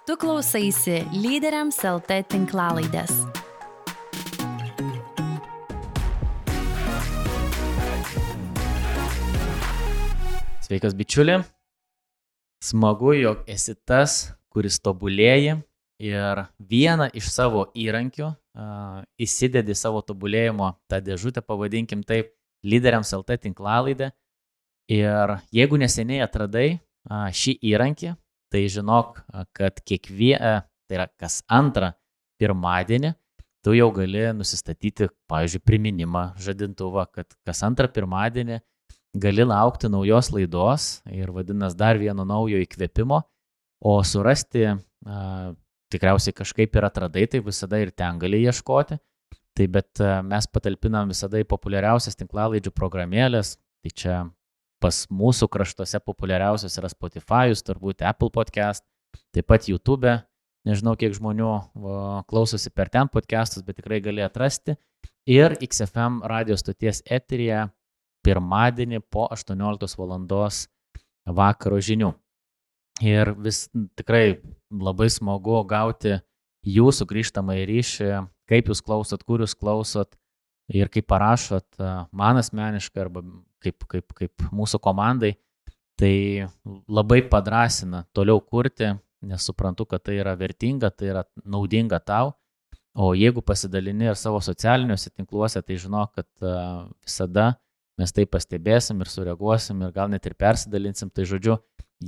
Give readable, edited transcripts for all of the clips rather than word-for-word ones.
Tu klausaisi Lyderiams LT tinklalaidės. Sveikas bičiuli, smagu, jog esi tas, kuris tobulėji ir vieną iš savo įrankių įsidedi savo tobulėjimo tą dėžutę, pavadinkim taip, Lyderiams LT tinklalaidę. Ir jeigu neseniai atradai šį įrankį, tai žinok, kad tai yra kas antrą pirmadienį, tu jau gali nusistatyti, pavyzdžiui, priminimą žadintuvą, kad kas antrą pirmadienį gali laukti naujos laidos ir vadinasi dar vieno naujo įkvėpimo, o surasti tikriausiai kažkaip ir atradai, tai visada ir ten gali ieškoti. Tai bet mes patalpinam visada į populiariausias tinklalaidžių programėlės, tai čia pas mūsų kraštuose populiariausias yra Spotify'us, turbūt Apple Podcast, taip pat YouTube, nežinau kiek žmonių klausosi per ten podcastus, bet tikrai gali atrasti, ir XFM radio stoties eteryje pirmadienį po 18 valandos vakaro žinių. Ir vis tikrai labai smagu gauti jūsų grįžtamąjį ryšį, kaip jūs klausot, kur jūs klausot ir kaip parašot man asmeniškai arba kaip mūsų komandai. Tai labai padrasina toliau kurti, nes suprantu, kad tai yra vertinga, tai yra naudinga tau. O jeigu pasidalini ir savo socialiniuose tinkluose, tai žinok, kad visada mes tai pastebėsim ir sureaguosim ir gal net ir persidalinsim. Tai žodžiu,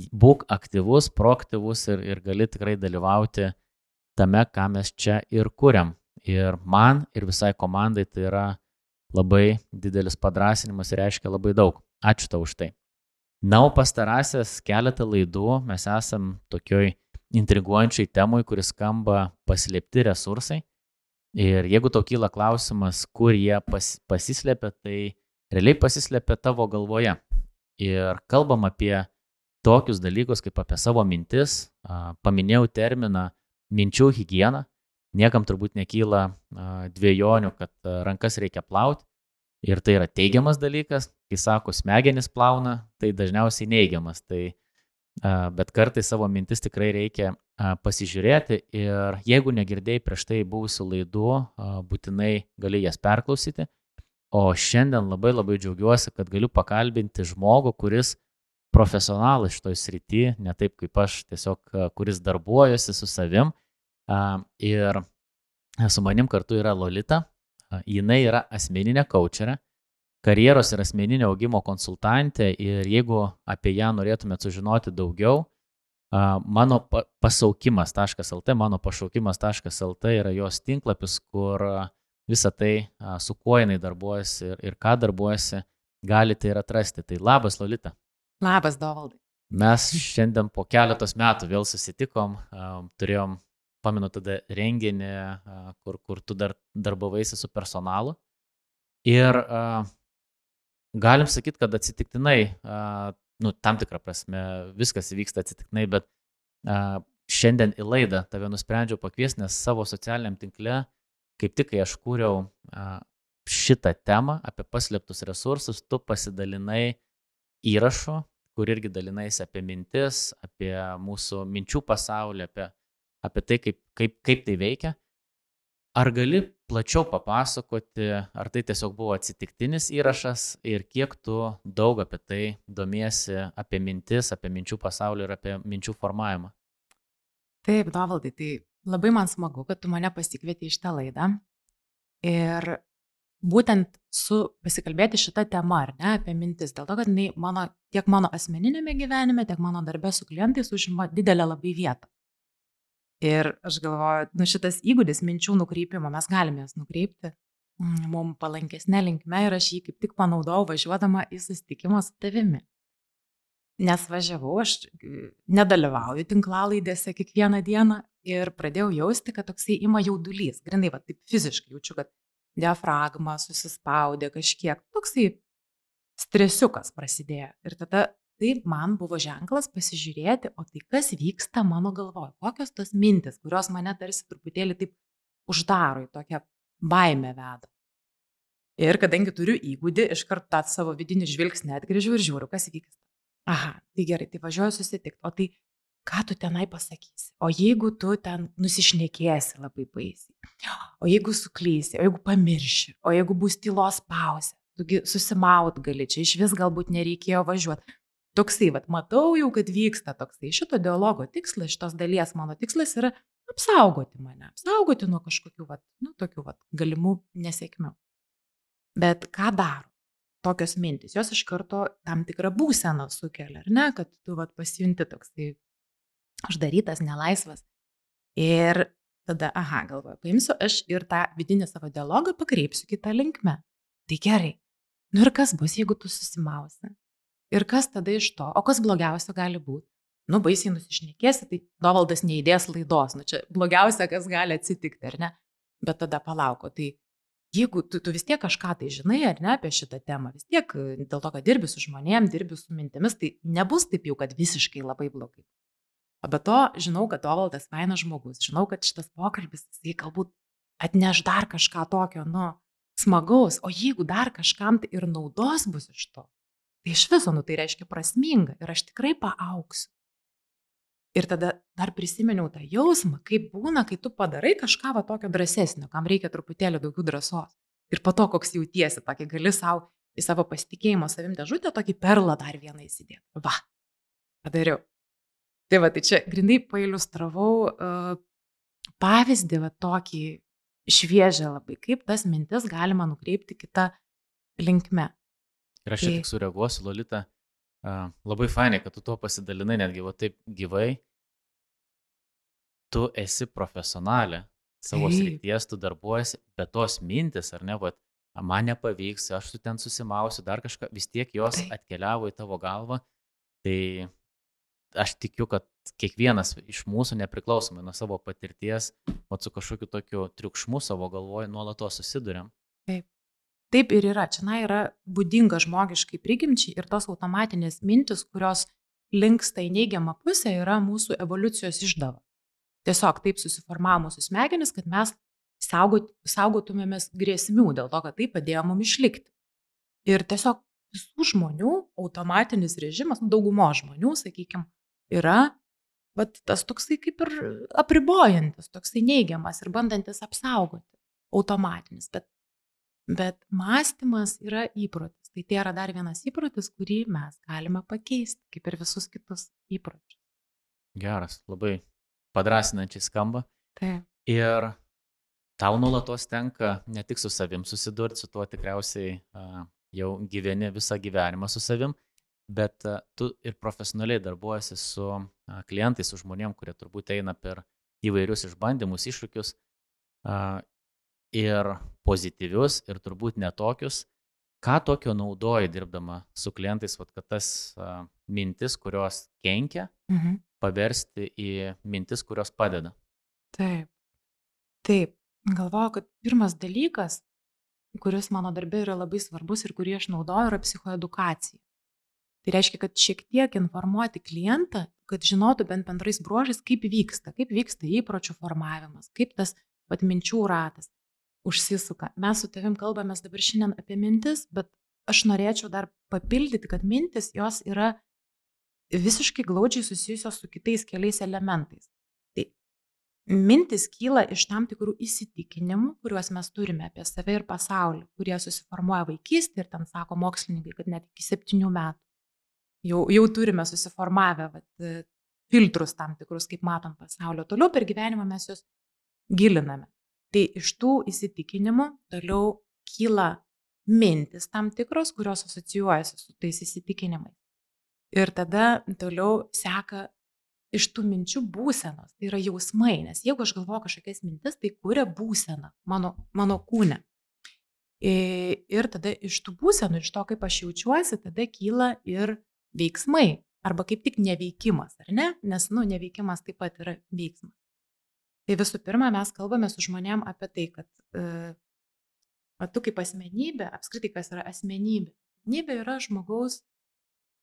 būk aktyvus, proaktyvus ir gali tikrai dalyvauti tame, ką mes čia ir kuriam. Ir man ir visai komandai tai yra labai didelis padrasinimas ir reiškia labai daug. Ačiū tau už tai. Na, o pastarąsias keletą laidų mes esam tokioj intriguojančiai temui, kuris skamba paslėpti resursai. Ir jeigu tau kyla klausimas, kur jie pasislėpia, tai realiai pasislėpia tavo galvoje. Ir kalbam apie tokius dalykus, kaip apie savo mintis. Paminėjau terminą minčių higiena. Niekam turbūt nekyla dvejonių, kad rankas reikia plauti. Ir tai yra teigiamas dalykas. Kai sako smegenis plauna, tai dažniausiai neigiamas. Bet kartais savo mintis tikrai reikia pasižiūrėti. Ir jeigu negirdėjai prieš tai buvusių laidų, būtinai gali jas perklausyti. O šiandien labai džiaugiuosi, kad galiu pakalbinti žmogų, kuris profesionalas šitoj srity, ne taip kaip aš, tiesiog kuris darbuojasi su savim. Ir su manim kartu yra Lolita. Jinai yra asmeninė kaučerė, karjeros ir asmeninio augimo konsultantė. Ir jeigu apie ją norėtumėt sužinoti daugiau, mano pasaukimas.lt, mano pašaukimas.lt yra jos tinklapis, kur visą tai, su kuo jinai darbuojasi ir ką darbuojasi, galite ir atrasti. Tai labas, Lolita. Labas, Dovaldai. Mes šiandien po keletos metų vėl susitikom, turėjom, pamenu tada renginį, kur tu darbavaisi su personalu. Ir galim sakyti, kad atsitiktinai, tam tikrą prasme, viskas vyksta atsitiktinai, bet šiandien į laidą tave nusprendžiau pakviesti, nes savo socialiniam tinkle, kaip tik kai aš kūriau šitą temą apie paslėptus resursus, tu pasidalinai įrašu, kur irgi dalinaisi apie mintis, apie mūsų minčių pasaulį, apie tai, kaip tai veikia. Ar gali plačiau papasakoti, ar tai tiesiog buvo atsitiktinis įrašas ir kiek tu daug apie tai domiesi, apie mintis, apie minčių pasaulį ir apie minčių formavimą? Taip, Dovaldai, tai labai man smagu, kad tu mane pasikvietei į šitą laidą. Ir būtent pasikalbėti šitą temą, ar ne, apie mintis, dėl to, kad tiek mano asmeninėme gyvenime, tiek mano darbe su klientais užima didelę labai vietą. Ir aš galvoju, šitas įgūdis minčių nukreipimo, mes galime jas nukreipti mums palankesnė linkme ir aš jį kaip tik panaudojau važiuodama į susitikimą su tavimi. Nes važiavau, aš nedalyvauju tinklalaidėse kiekvieną dieną ir pradėjau jausti, kad toksai ima jaudulys. Grindai, taip fiziškai jaučiu, kad diafragma susispaudė kažkiek, toksai stresiukas prasidėjo. Ir tada taip man buvo ženklas pasižiūrėti, o tai kas vyksta mano galvoje, kokios tos mintis, kurios mane tarsi truputėlį taip uždaro, į tokią baimę veda. Ir kadangi turiu įgūdį, iškart tą savo vidinį žvilgsnį atgrįžiu ir žiūriu, kas vyksta. Aha, tai gerai, tai važiuoju susitikti. O tai ką tu tenai pasakysi, o jeigu tu ten nusišnekėsi labai baisiai, o jeigu suklysi, o jeigu pamirši, o jeigu bus tylos pauzė, tugi susimaut gali, čia iš vis galbūt nereikėjo važiuoti. Toksai, matau jau, kad vyksta toksai. Šito dialogo tikslas, šitos dalies mano tikslas yra apsaugoti mane, apsaugoti nuo kažkokių, tokių galimų nesėkmių. Bet ką daro tokios mintis? Jos iš karto tam tikrą būseną sukelia, ar ne, kad tu pasijunti toksai uždarytas, nelaisvas. Ir tada, galvoju, paimsiu aš ir tą vidinį savo dialogą pakreipsiu kitą linkmę. Tai gerai. Ir kas bus, jeigu tu susimausi? Ir kas tada iš to? O kas blogiausia gali būti? Baisiai nusišnekėsi, tai Dovaldas neįdės laidos. Čia blogiausia, kas gali atsitikti, ar ne? Bet tada palauko. Tai jeigu tu vis tiek kažką tai žinai, ar ne, apie šitą temą, vis tiek dėl to, kad dirbi su žmonėm, dirbi su mintimis, tai nebus taip jau, kad visiškai labai blogai. O be to, žinau, kad Dovaldas fainas žmogus, žinau, kad šitas pokalbis, jisai galbūt atneš dar kažką tokio, smagaus, o jeigu dar kažkam tai ir naudos bus iš to, tai iš viso, tai reiškia prasminga ir aš tikrai paaugsiu. Ir tada dar prisiminiau tą jausmą, kaip būna, kai tu padarai kažką tokio drąsesnio, kam reikia truputėlį daugiau drąsos. Ir po to, koks jautiesi, tokį gali savo į savo pasitikėjimo savim dėžutę, tokį perlą dar vieną įsidėti. Padariau. Tai čia grindai pailiustravau pavyzdį tokį šviežią labai, kaip tas mintis galima nukreipti kitą linkme. Ir aš tik sureaguosiu, Lolita, labai fainai, kad tu to pasidalinai netgi taip gyvai. Tu esi profesionalė savo srities, tu darbuojasi, bet tos mintis, ar ne, man nepavyks, aš ten susimausiu, dar kažką, vis tiek jos atkeliavo į tavo galvą. Tai aš tikiu, kad kiekvienas iš mūsų, nepriklausomai nuo savo patirties, su kažkokiu tokiu triukšmu savo galvoje nuolatos susiduriam. Taip ir yra. Čia yra būdinga žmogiškai prigimčiai ir tos automatinės mintis, kurios linksta į neigiamą pusę, yra mūsų evoliucijos išdava. Tiesiog taip susiformavo mūsų smegenis, kad mes saugotumėmės grėsmių dėl to, kad tai padėjo mums išlikti. Ir tiesiog visų žmonių automatinis režimas, daugumo žmonių, sakykime, yra tas toksai kaip ir apribojantis, toksai neigiamas ir bandantis apsaugoti, automatinis. Bet mąstymas yra įprotis. Tai yra dar vienas įprotis, kurį mes galime pakeisti, kaip ir visus kitus įpročius. Geras, labai padrasinančiai skamba. Taip. Ir tau nuolatos tenka ne tik su savim susidurti, su tuo tikriausiai jau gyveni visą gyvenimą su savim, bet tu ir profesionaliai darbuojasi su klientais, su žmonėm, kurie turbūt eina per įvairius išbandymus, iššūkius ir pozityvius, ir turbūt netokius. Ką tokio naudoji dirbdama su klientais, kad tas mintis, kurios kenkia, paversti į mintis, kurios padeda? Taip. Galvoju, kad pirmas dalykas, kuris mano darbe yra labai svarbus ir kurį aš naudoju, yra psichoedukacija. Tai reiškia, kad šiek tiek informuoti klientą, kad žinotų bent bendrais bruožais, kaip vyksta įpročių formavimas, kaip tas minčių ratas užsisuka. Mes su tavim kalbamės dabar šiandien apie mintis, bet aš norėčiau dar papildyti, kad mintis jos yra visiškai glaudžiai susijusios su kitais keliais elementais. Tai mintis kyla iš tam tikrų įsitikinimų, kuriuos mes turime apie save ir pasaulį, kurie susiformuoja vaikystėje ir ten sako mokslininkai, kad net iki 7 metų. Jau turime susiformavę filtrus tam tikrus, kaip matom pasaulio. Toliau per gyvenimą mes juos giliname. Tai iš tų įsitikinimų toliau kyla mintis tam tikros, kurios asocijuojasi su tais įsitikinimais. Ir tada toliau seka iš tų minčių būsenos, tai yra jausmai, nes jeigu aš galvoju kažkokias mintis, tai kuria būseną mano kūne. Ir tada iš tų būsenų, iš to, kaip aš jaučiuosi, tada kyla ir veiksmai, arba kaip tik neveikimas, ar ne? Nes, neveikimas taip pat yra veiksmas. Tai visų pirma, mes kalbame su žmonėm apie tai, kad tu kaip asmenybė, apskritai kas yra asmenybė. Asmenybė yra žmogaus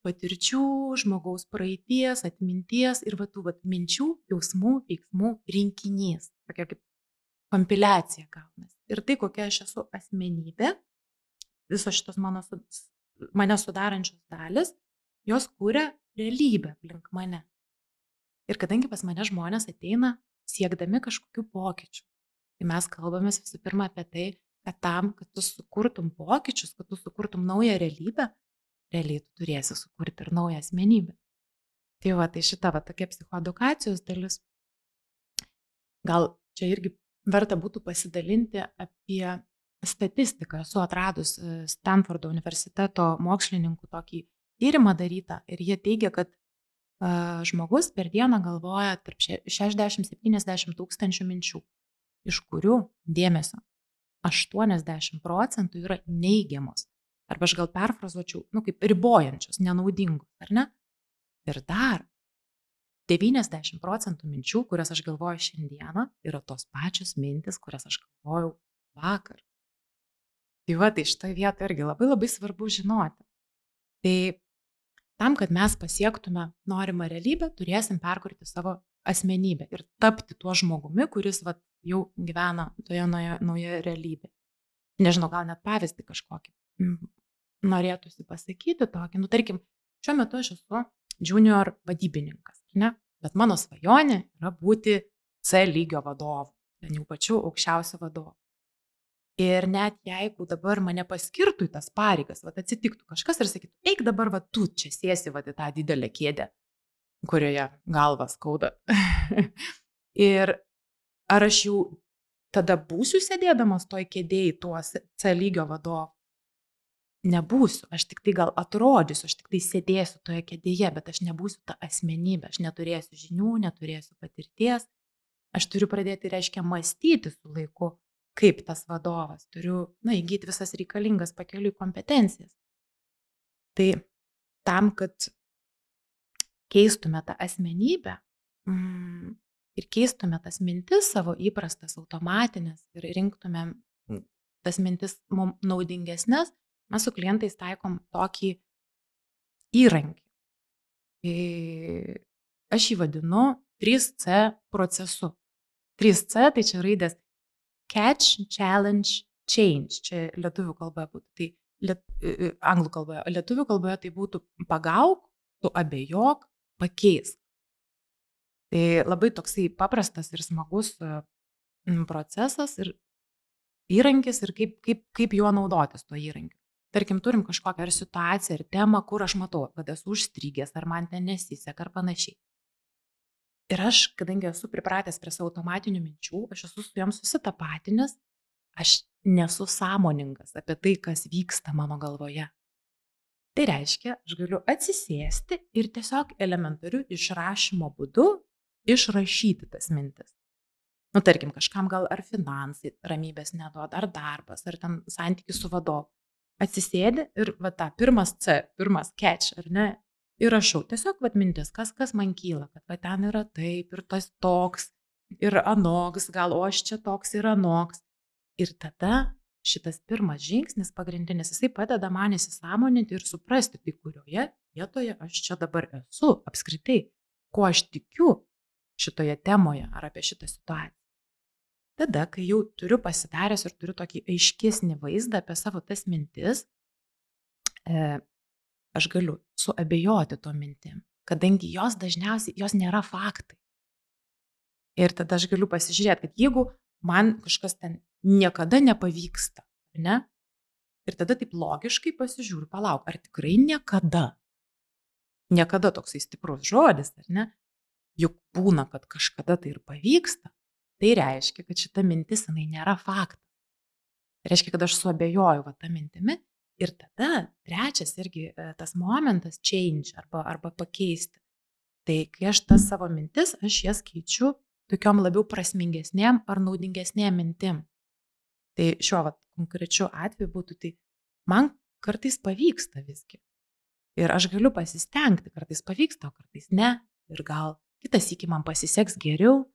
patirčių, žmogaus praeities, atminties ir tų minčių, jausmų, veiksmų rinkinys. Tokia kaip kompiliacija gaunasi. Ir tai, kokia aš esu asmenybė, visos šitos mane sudarančios dalis, jos kuria realybę aplink mane. Ir kadangi pas mane žmonės ateina siekdami kažkokių pokyčių, tai mes kalbamės visų pirma apie tai, kad tam, kad tu sukurtum pokyčius, kad tu sukurtum naują realybę, realiai tu turėsi sukurti ir naują asmenybę. Tai šita tokia psichoedukacijos dalis. Gal čia irgi verta būtų pasidalinti apie statistiką. Esu atradus Stanfordo universiteto mokslininkų tokį tyrimą darytą ir jie teigia, kad žmogus per dieną galvoja tarp 60-70 tūkstančių minčių, iš kurių dėmesio 80% yra neigiamos. Arba aš gal perfrazuočiau, kaip ribojančios, nenaudingos, ar ne? Ir dar 90% minčių, kurias aš galvoju šiandieną, yra tos pačios mintis, kurias aš galvojau vakar. Tai šitoje vietoje irgi labai labai svarbu žinoti. Tai tam, kad mes pasiektume norimą realybę, turėsim perkurti savo asmenybę ir tapti tuo žmogumi, kuris jau gyvena toje naujoje realybėje. Nežinau, gal net pavyzdį kažkokį norėtųsi pasakyti tokį. Tarkim, šiuo metu aš esu junior vadybininkas, ne? Bet mano svajonė yra būti C lygio vadovu, ten jau pačiu aukščiausiu vadovu. Ir net jeigu dabar mane paskirtų į tas pareigas, atsitiktų kažkas ir sakytų, eik dabar, tu čia sėsi į tą didelę kėdę, kurioje galva skauda. Ir ar aš jau tada būsiu sėdėdamas toj kėdėj tuo C lygio vadovu? Nebūsiu, aš tik tai gal atrodysiu, aš tik tai sėdėsiu toje kėdėje, bet aš nebūsiu ta asmenybė, aš neturėsiu žinių, neturėsiu patirties, aš turiu pradėti, reiškia, mąstyti su laiku, kaip tas vadovas, turiu įgyti visas reikalingas pakeliui kompetencijas. Tai tam, kad keistume tą asmenybę ir keistume tas mintis savo įprastas, automatinės ir rinktume tas mintis mums naudingesnės, mes su klientais taikom tokį įrankį. Aš jį vadinu 3C procesu. 3C tai čia raidės Catch, Challenge, Change. Čia lietuvių kalboje būtų. Tai anglų kalboje. Lietuvių kalboje tai būtų pagauk, tu abejok, pakeisk. Tai labai toksai paprastas ir smagus procesas ir įrankis ir kaip juo naudotis tuo įrankiu. Tarkim, turim kažkokią ar situaciją, ar temą, kur aš matau, kad esu užstrigęs, ar man ten nesiseka, ar panašiai. Ir aš, kadangi esu pripratęs prie savo automatinių minčių, aš esu su joms susitapatinęs, aš nesu sąmoningas apie tai, kas vyksta mano galvoje. Tai reiškia, aš galiu atsisėsti ir tiesiog elementariu išrašymo būdu išrašyti tas mintis. Tarkim, kažkam gal ar finansai ramybės neduoda, ar darbas, ar ten santykis su vadovu. Atsisėdi ir tą pirmas C, pirmas catch, ar ne, ir rašau. Tiesiog mintis, kas man kyla, kad ten yra taip, ir tas toks, ir anoks, gal o aš čia toks ir anoks. Ir tada šitas pirmas žingsnis pagrindinis, jisai padeda man įsisąmoninti ir suprasti, tai kurioje vietoje aš čia dabar esu, apskritai, ko aš tikiu šitoje temoje ar apie šitą situaciją. Tada, kai jau turiu pasidaręs ir turiu tokį aiškesnį vaizdą apie savo tas mintis, aš galiu suabejoti to mintim, kadangi jos dažniausiai, jos nėra faktai. Ir tada aš galiu pasižiūrėti, kad jeigu man kažkas ten niekada nepavyksta, ne? Ir tada taip logiškai pasižiūriu, palauk, ar tikrai niekada? Niekada toksai stiprus žodis, ar ne? Juk būna, kad kažkada tai ir pavyksta. Tai reiškia, kad šita mintis, jinai nėra faktas. Tai reiškia, kad aš suabejoju tą mintimi ir tada trečias irgi tas momentas change arba pakeisti. Tai kai aš tas savo mintis, aš jas keičiu tokiom labiau prasmingesnėm ar naudingesnėm mintim. Tai šiuo konkrečiu atveju būtų, tai man kartais pavyksta visgi. Ir aš galiu pasistengti, kartais pavyksta, o kartais ne. Ir gal kitas sykį man pasiseks geriau.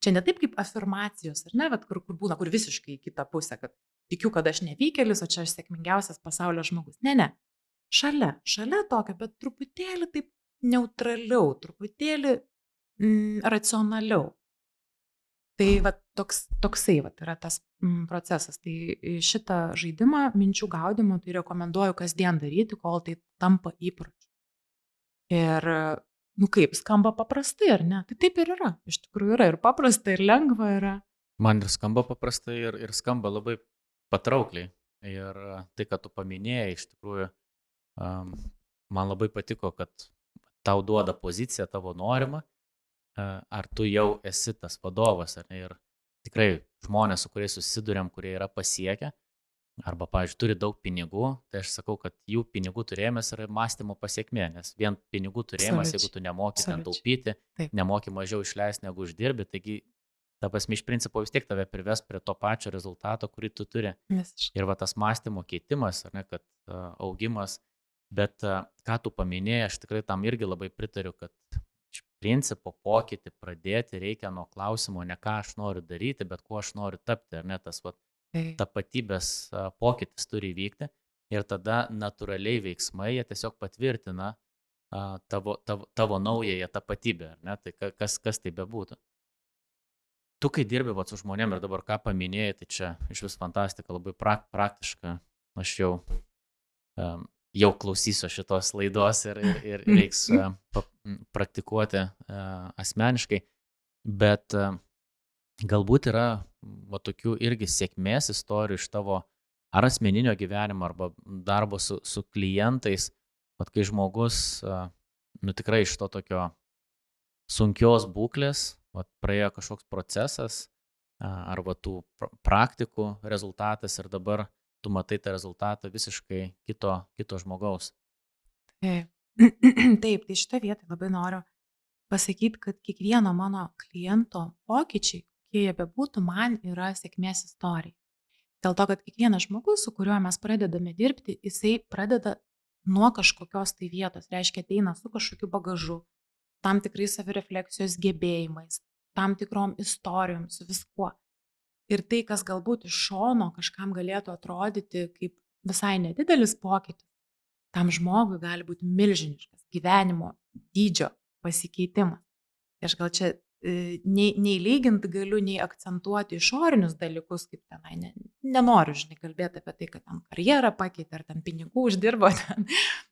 Čia ne taip kaip afirmacijos, ar ne, kur būna, kur visiškai į kitą pusę, kad tikiu, kad aš nevykėlis, o čia aš sėkmingiausias pasaulio žmogus. Ne. Šalia tokio, bet truputėlį taip neutraliau, truputėlį racionaliau. Tai toksai yra tas procesas. Tai šitą žaidimą minčių gaudimo tai rekomenduoju kasdien daryti, kol tai tampa įpročiu. Ir kaip, skamba paprastai, ar ne? Tai taip ir yra. Iš tikrųjų yra ir paprasta, ir lengva yra. Man ir skamba paprastai, ir skamba labai patraukliai. Ir tai, kad tu paminėjai, iš tikrųjų, man labai patiko, kad tau duoda poziciją tavo norimą, ar tu jau esi tas vadovas, ar ne? Ir tikrai žmonės, su kuriais susidurėm, kurie yra pasiekę, arba, pavyzdžiui, turi daug pinigų, tai aš sakau, kad jų pinigų turėjimas yra mąstymo pasiekmė, nes vien pinigų turėjimas, jeigu tu nemoki ten taupyti, nemoki mažiau išleisti negu uždirbi, taigi, ta prasme, iš principo vis tiek tave prives prie to pačio rezultato, kurį tu turi. Ir va tas mąstymo keitimas, ar ne, kad augimas, bet ką tu paminėjai, aš tikrai tam irgi labai pritariu, kad iš principo pokytį pradėti reikia nuo klausimo, ne ką aš noriu daryti, bet kuo aš noriu tapti, ar ne, tas va tapatybės pokytis turi įvykti ir tada natūraliai veiksmai jie tiesiog patvirtina tavo naująją tapatybę, ar ne, tai kas tai bebūtų. Tu, kai dirbi su žmonėm ir dabar ką paminėjai, tai čia iš vis fantastika, labai praktiška, aš jau klausysiu šitos laidos ir reiks praktikuoti asmeniškai, bet galbūt yra tokių irgi sėkmės istorijų iš tavo ar asmeninio gyvenimo, arba darbo su klientais, kai žmogus tikrai iš to tokio sunkios būklės, praėjo kažkoks procesas, arba tų praktikų rezultatas ir dabar tu matai tą rezultatą visiškai kito žmogaus. Taip, tai šitą vietą labai noriu pasakyti, kad kiekvieno mano kliento pokyčiai, kokie jie bebūtų, man yra sėkmės istorija. Dėl to, kad kiekvienas žmogus, su kuriuo mes pradedame dirbti, jisai pradeda nuo kažkokios tai vietos, reiškia ateina su kažkokiu bagažu, tam tikrais savirefleksijos gebėjimais, tam tikrom istorijom, su viskuo. Ir tai, kas galbūt iš šono kažkam galėtų atrodyti kaip visai nedidelis pokytis, tam žmogui gali būti milžiniškas gyvenimo dydžio pasikeitimas. Aš gal čia nei lygint galiu, nei akcentuoti išorinius dalykus, kaip tenai, nenoriu, kalbėti apie tai, kad ten karjerą pakeitė, ar ten pinigų uždirbo,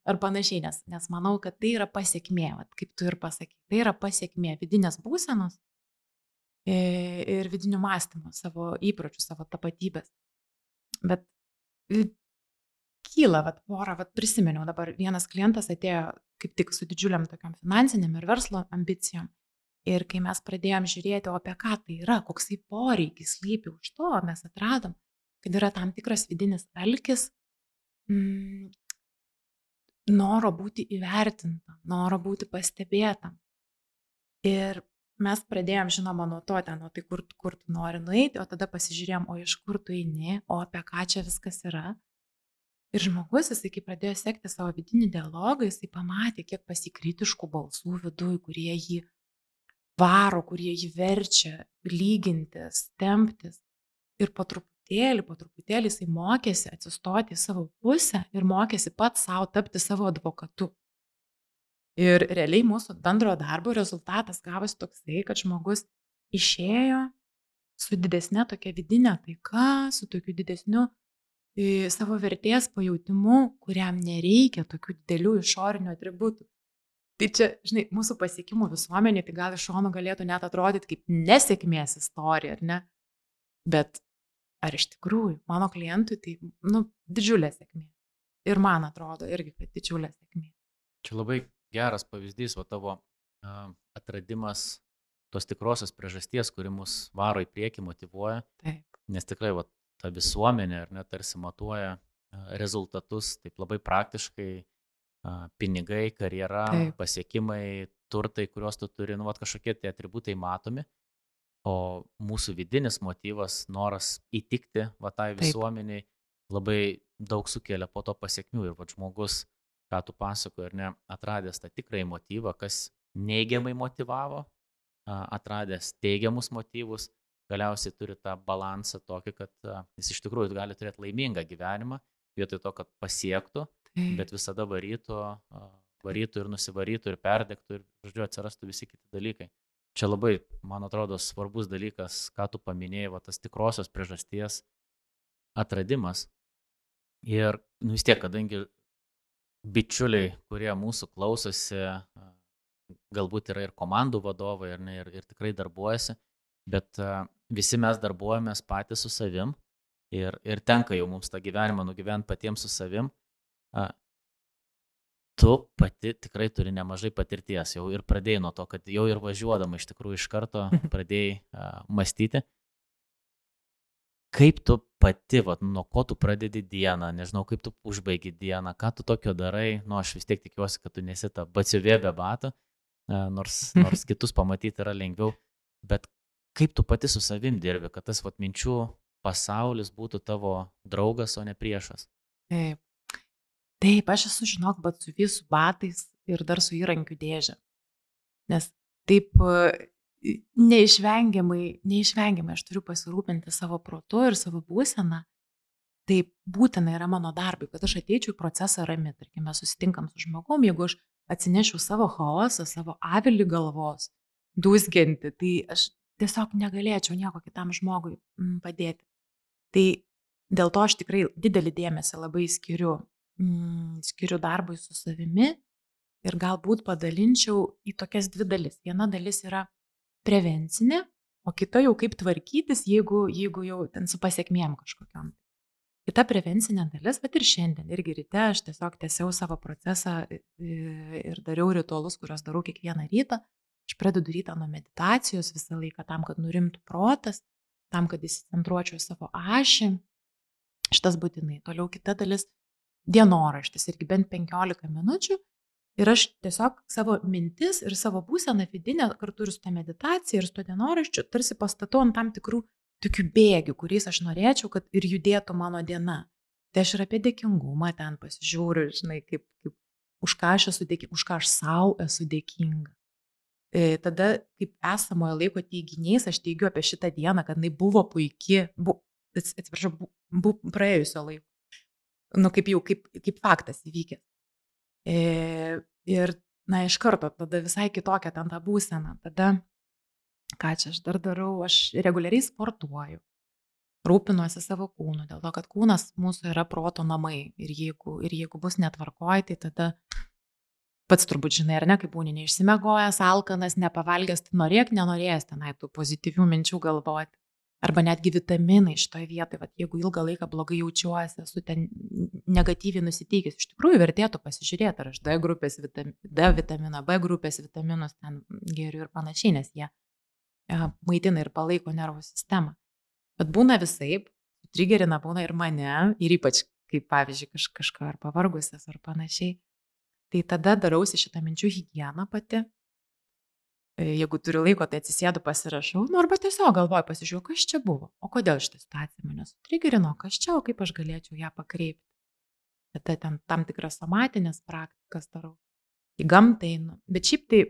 ar panašiai, nes manau, kad tai yra pasiekmė, kaip tu ir pasakai, tai yra pasiekmė vidinės būsenos ir vidinių mąstymų, savo įpročių, savo tapatybės. Bet kyla, porą, prisiminiau, dabar vienas klientas atėjo kaip tik su didžiuliam tokiam finansiniam ir verslo ambicijom. Ir kai mes pradėjom žiūrėti, o apie ką tai yra, koksai poreikis slypi už to, mes atradom, kad yra tam tikras vidinis alkis, noro būti įvertintam, noro būti pastebėtam. Ir mes pradėjom, žinoma, nuo to, tai kur tu nori nueiti, o tada pasižiūrėjom, o iš kur tu eini, o apie ką čia viskas yra. Ir žmogus, jisai, kai pradėjo sekti savo vidinį dialogą, jisai pamatė, kiek pasikritiškų balsų viduj, kurie jį varo, kurie jį verčia lygintis, temptis. Ir po truputėlį jisai mokėsi atsistoti į savo pusę ir mokėsi pats savo tapti savo advokatu. Ir realiai mūsų bendro darbo rezultatas gavosi toksai, kad žmogus išėjo su didesnė tokia vidinė taika, su tokiu didesniu savo vertės pajautimu, kuriam nereikia tokių didelių išorinių atributų. Tai čia, mūsų pasiekimų visuomenė, tai gal iš šono galėtų net atrodyti kaip nesėkmės istorija, ar ne? Bet ar iš tikrųjų mano klientui tai, didžiulė sėkmė. Ir man atrodo irgi, kad didžiulė sėkmė. Čia labai geras pavyzdys, tavo atradimas tos tikrosios priežasties, kuri mus varo į priekį, motyvuoja. Taip. Nes tikrai ta visuomenė, ar ne, tarsi matuoja rezultatus taip labai praktiškai. Pinigai, karjera, taip, pasiekimai, turtai, kuriuos tu turi, kažkokie tie atributai matomi, o mūsų vidinis motyvas, noras įtikti tai visuomeniai, labai daug sukelia po to pasiekmių. Ir žmogus, ką tu pasakoji, ar ne, atradęs tą tikrąjį motyvą, kas neigiamai motyvavo, atradęs teigiamus motyvus, galiausiai turi tą balansą tokį, kad jis iš tikrųjų gali turėti laimingą gyvenimą, vietoj to, kad pasiektų, bet visada varytų ir nusivarytų ir perdegtų ir, atsirastų visi kiti dalykai. Čia labai, man atrodo, svarbus dalykas, ką tu paminėjai, tas tikrosios priežasties atradimas. Ir vis tiek, kadangi bičiuliai, kurie mūsų klausosi, galbūt yra ir komandų vadovai, ar ne, ir tikrai darbuojasi, bet visi mes darbuojamės patys su savim ir tenka jau mums tą gyvenimą nugyventi patiems su savim. Tu pati tikrai turi nemažai patirties, jau ir pradėjai nuo to, kad jau ir važiuodama iš tikrųjų iš karto pradėjai mąstyti. Kaip tu pati, nuo ko tu pradedi dieną, nežinau, kaip tu užbaigi dieną, ką tu tokio darai, aš vis tiek tikiuosi, kad tu nesi ta batsiuvė be batų, nors kitus pamatyti yra lengviau, bet kaip tu pati su savim dirbi, kad tas minčių pasaulis būtų tavo draugas, o ne priešas. Taip, aš esu, žinok, batsiuvė su batais ir dar su įrankių dėžė. Nes taip neišvengiamai aš turiu pasirūpinti savo protu ir savo būseną. Tai būtina yra mano darbui, kad aš ateičiau į procesą rami. Tarkime, susitinkam su žmogum, jeigu aš atsinešiu savo chaosą, savo avilį galvos, dūzgianti, tai aš tiesiog negalėčiau nieko kitam žmogui padėti. Tai dėl to aš tikrai didelį dėmesį labai skiriu darbui su savimi ir galbūt padalinčiau į tokias dvi dalis. Viena dalis yra prevencinė, o kita jau kaip tvarkytis, jeigu jau ten su pasiekmėm kažkokiam. Kita prevencinė dalis, bet ir šiandien, irgi ryte aš tiesiog tęsiau savo procesą ir dariau ritualus, kuriuos darau kiekvieną rytą. Aš pradedu rytą nuo meditacijos visą laiką tam, kad nurimtų protas, tam, kad įsicentruočiau savo ašį. Šitas būtinai. Toliau kita dalis dienoraštis, irgi bent 15 minučių. Ir aš tiesiog savo mintis ir savo būseną vidinę kartu ir su ta meditacija ir su to dienoraščiu tarsi pastatau ant tam tikrų tokių bėgių, kuriais aš norėčiau, kad ir judėtų mano diena. Tai aš ir apie dėkingumą ten pasižiūriu, žinai, kaip už ką aš esu dėkinga, už ką aš savo esu dėkinga. Tada, kaip esamojo laiko teiginiais, aš teigiu apie šitą dieną, kad jinai buvo puiki, praėjusio laiko. Kaip faktas įvykęs. Ir, iš karto, tada visai kitokia ten ta būsena. Tada, ką čia aš dar darau, aš reguliariai sportuoju, rūpinuosi savo kūnu, dėl to, kad kūnas mūsų yra proto namai. Ir jeigu bus netvarkoj, tai tada pats turbūt žinai, ar ne, kaip būni neišsimegojęs, alkanas, nepavalgęs, tai nenorėjęs tenai tų pozityvių minčių galvoti. Arba netgi vitaminai šitoje vietoje, jeigu ilgą laiką blogai jaučiuosi, esu ten negatyviai nusiteikęs, iš tikrųjų vertėtų pasižiūrėti, ar aš D vitaminą, B grupės vitaminus ten geriu ir panašiai, nes jie maitina ir palaiko nervų sistemą. Bet būna visaip, trigerina būna ir mane, ir ypač kaip pavyzdžiui kažką ar pavargusias ar panašiai. Tai tada darausi šitą minčių higieną pati. Jeigu turiu laiko, tai atsisėdu, pasirašau, arba tiesiog galvoju, pasižiūrėjau, kas čia buvo, o kodėl šitą situaciją mane sutrigerino, kas čia, o kaip aš galėčiau ją pakreipti. Tada ten tam tikras somatinės praktikas darau, į gamtą einu. Bet šiaip tai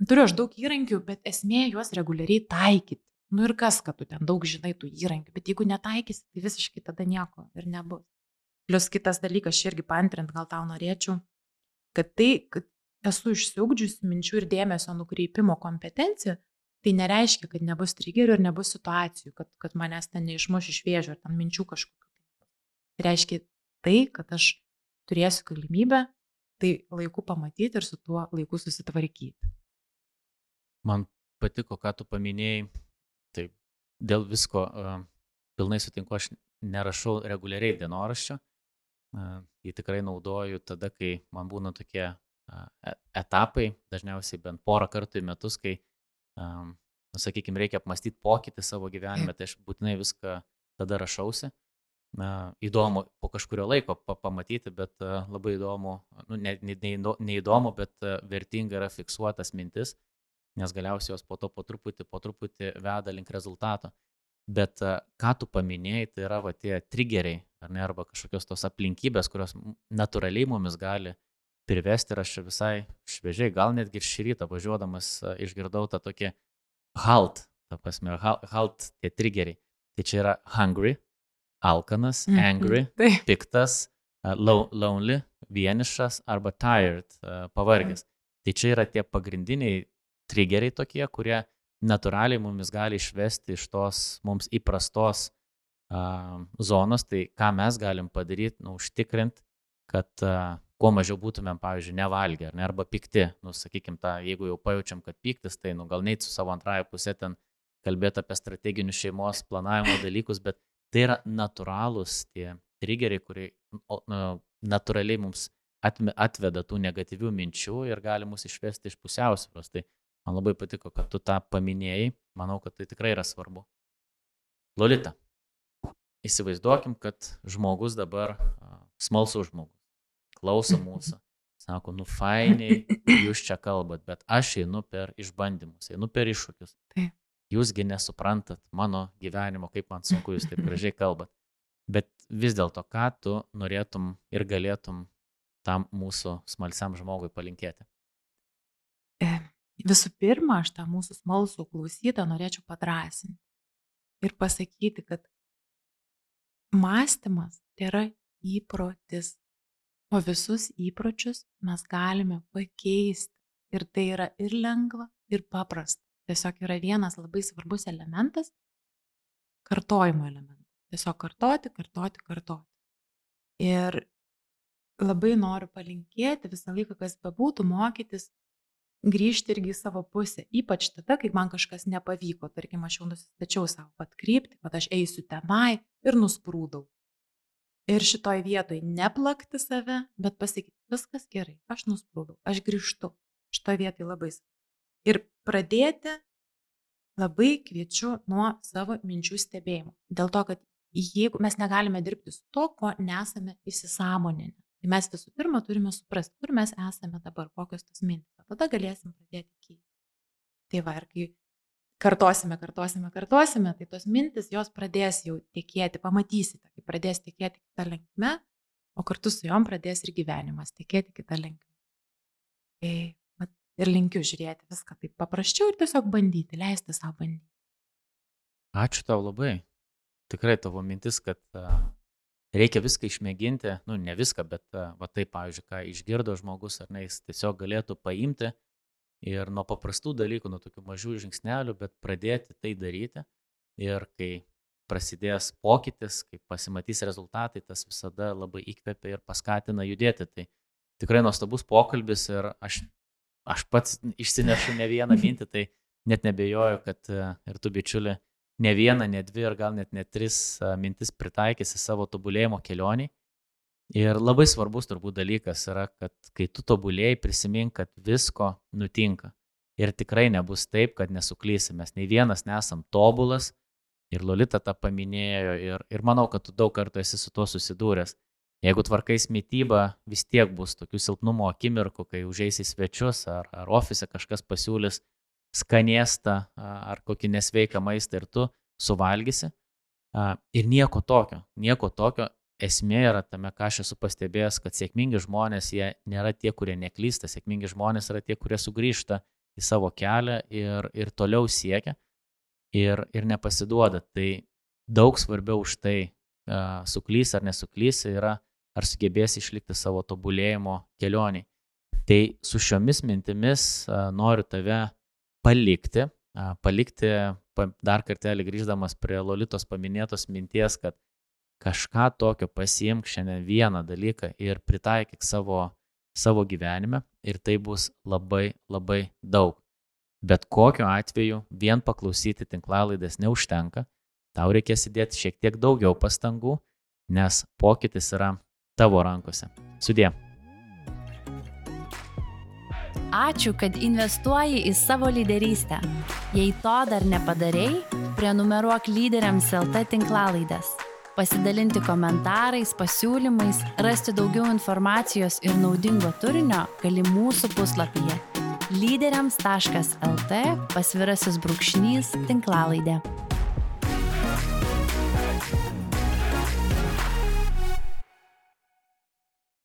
turiu aš daug įrankių, bet esmė juos reguliariai taikyti. Ir kas, kad tu ten daug žinai tų įrankių, bet jeigu netaikysi, tai visiškai tada nieko ir nebus. Plius kitas dalykas, irgi paantrint, gal tau norėčiau, kad esu išsiugdžiusi minčių ir dėmesio nukreipimo kompetenciją, tai nereiškia, kad nebus trigerių ir nebus situacijų, kad manęs ten neišmuš iš vėžių ar ten minčių kažkokių. Tai reiškia tai, kad aš turėsiu galimybę tai laiku pamatyti ir su tuo laiku susitvarkyti. Man patiko, ką tu paminėjai, tai dėl visko pilnai sutinku, aš nerašau reguliariai dienoraščio, jį tikrai naudoju tada, kai man būna tokie etapai, dažniausiai bent porą kartų į metus, kai, sakykime, reikia apmastyti pokytį savo gyvenime, tai aš būtinai viską tada rašausi. Įdomu po kažkurio laiko pamatyti, bet labai įdomu, neįdomu, bet vertinga yra fiksuotas mintis, nes galiausiai jos po to po truputį veda link rezultato. Bet ką tu paminėjai, tai yra tie trigeriai, ar ne, arba kažkokios tos aplinkybės, kurios natūraliai mumis gali privesti. Ir aš čia visai šviežiai, gal netgi ir šį rytą važiuodamas išgirdau tą tokį halt, halt tie trigeriai. Tai čia yra hungry, alkanas, angry, piktas, lonely, vienišas arba tired, pavargęs. Tai čia yra tie pagrindiniai trigeriai tokie, kurie natūraliai mumis gali išvesti iš tos mums įprastos zonos. Tai ką mes galim padaryti, užtikrinti, kad kuo mažiau būtumėm, pavyzdžiui, nevalgę, ar ne, arba pikti, sakykim, jeigu jau pajaučiam, kad piktis, tai gal neit su savo antrąją pusę ten kalbėti apie strateginius šeimos planavimo dalykus, bet tai yra natūralūs tie triggeriai, kurie natūraliai mums atveda tų negatyvių minčių ir gali mus išvesti iš pusiausvyros. Tai man labai patiko, kad tu tą paminėjai, manau, kad tai tikrai yra svarbu. Lolita, įsivaizduokim, kad žmogus dabar, smalsus žmogus, klauso mūsų, sako, fainiai, jūs čia kalbat, bet aš einu per išbandymus, einu per iššūkius. Taip. Jūsgi nesuprantat mano gyvenimo, kaip man sunku, jūs taip gražiai kalbat. Bet vis dėlto, ką tu norėtum ir galėtum tam mūsų smalsiam žmogui palinkėti? Visų pirma, aš tą mūsų smalsų klausytą norėčiau padrąsinti ir pasakyti, kad mąstymas tai yra įprotis, o visus įpročius mes galime pakeisti. Ir tai yra ir lengva, ir paprasta. Tiesiog yra vienas labai svarbus elementas – kartojimo elementas. Tiesiog kartoti. Ir labai noriu palinkėti visą laiką, kas bebūtų, mokytis, grįžti irgi į savo pusę. Ypač tada, kai man kažkas nepavyko. Tarkim, aš jau nusistačiau savo kryptį, kad aš eisiu tenai ir nusprūdau. Ir šitoj vietoj neplakti save, bet pasakyti, viskas gerai, aš nusprūdau, aš grįžtu. Šitoj vietoj labai svarbu. Ir pradėti labai kviečiu nuo savo minčių stebėjimo. Dėl to, kad jeigu mes negalime dirbti su to, ko nesame įsisąmoninę, tai mes visų pirma turime suprasti, kur mes esame dabar, kokios tos mintys. Tada galėsim pradėti keisti. Tai va, ir kai kartosime, tai tos mintis, jos pradės jau tekėti, pamatysite, kai pradės tekėti kitą linkme, o kartu su jom pradės ir gyvenimas tekėti kitą linkme. Ir linkiu žiūrėti viską taip paprasčiau ir tiesiog bandyti, leisti savo bandyti. Ačiū tau labai. Tikrai tavo mintis, kad reikia viską išmėginti, ne viską, bet va tai, pavyzdžiui, ką išgirdo žmogus, ar ne, jis tiesiog galėtų paimti ir nuo paprastų dalykų, nuo tokių mažų žingsnelių, bet pradėti tai daryti. Ir kai prasidės pokytis, kai pasimatys rezultatai, tas visada labai įkvepia ir paskatina judėti. Tai tikrai nuostabus pokalbis ir aš pats išsinešu ne vieną mintį, tai net nebejoju, kad ir tu, bičiuli, ne vieną, ne dvi ir gal net 3 mintis pritaikysi savo tobulėjimo kelionį. Ir labai svarbus turbūt dalykas yra, kad kai tu tobulėjai, prisimink, kad visko nutinka. Ir tikrai nebus taip, kad nesuklysi. Mes nei vienas nesam tobulas. Ir Lolita tą paminėjo. Ir manau, kad tu daug kartų esi su tuo susidūręs. Jeigu tvarkais mitybą, vis tiek bus tokių silpnumo akimirkų, kai užeisi į svečius ar ofise kažkas pasiūlys skanėstą ar kokį nesveiką maistą ir tu suvalgysi. Ir nieko tokio. Esmė yra tame, ką aš esu pastebėjęs, kad sėkmingi žmonės, jie nėra tie, kurie neklysta, sėkmingi žmonės yra tie, kurie sugrįžta į savo kelią ir toliau siekia ir nepasiduoda. Tai daug svarbiau už tai, suklys ar nesuklys, yra ar sugebės išlikti savo tobulėjimo kelionį. Tai su šiomis mintimis noriu tave palikti dar kartelį grįždamas prie Lolitos paminėtos minties, kad kažką tokio pasiimk šiandien vieną dalyką ir pritaikyk savo gyvenime ir tai bus labai, labai daug. Bet kokiu atveju vien paklausyti tinklalaidės neužtenka, tau reikės įdėti šiek tiek daugiau pastangų, nes pokytis yra tavo rankose. Sudie. Ačiū, kad investuoji į savo lyderystę. Jei to dar nepadarei, prenumeruok Lyderiams LT tinklalaidės. Pasidalinti komentarais, pasiūlymais, rasti daugiau informacijos ir naudingo turinio gali mūsų puslapyje lyderiams.lt/tinklalaidė.